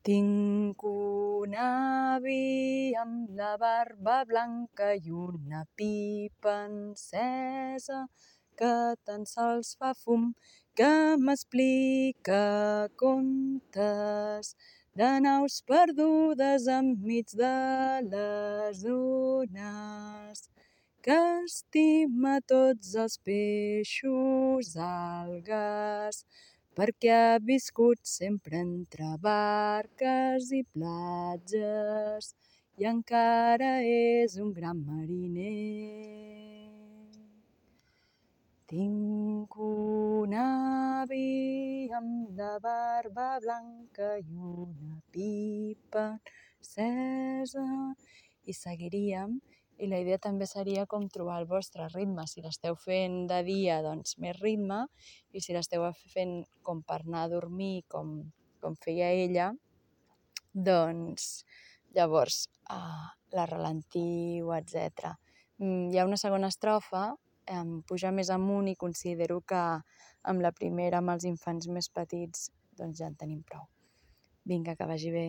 Tinc un avi amb la barba blanca i una pipa encesa que tan sols fa fum, que m'explica contes de naus perdudes enmig de les ones, que estima tots els peixos, algues, perquè ha viscut sempre entre barques i platges i encara és un gran mariner. Tinc un avi amb la barba blanca i una pipa encesa. I seguiríem, i la idea també seria com trobar el vostre ritme. Si l'esteu fent de dia, doncs més ritme, i si l'esteu fent com per anar a dormir, com feia ella, doncs llavors la ralentiu, etc. Hi ha una segona estrofa, puja més amunt, i considero que amb la primera, amb els infants més petits, doncs ja en tenim prou. Vinga, que vagi bé.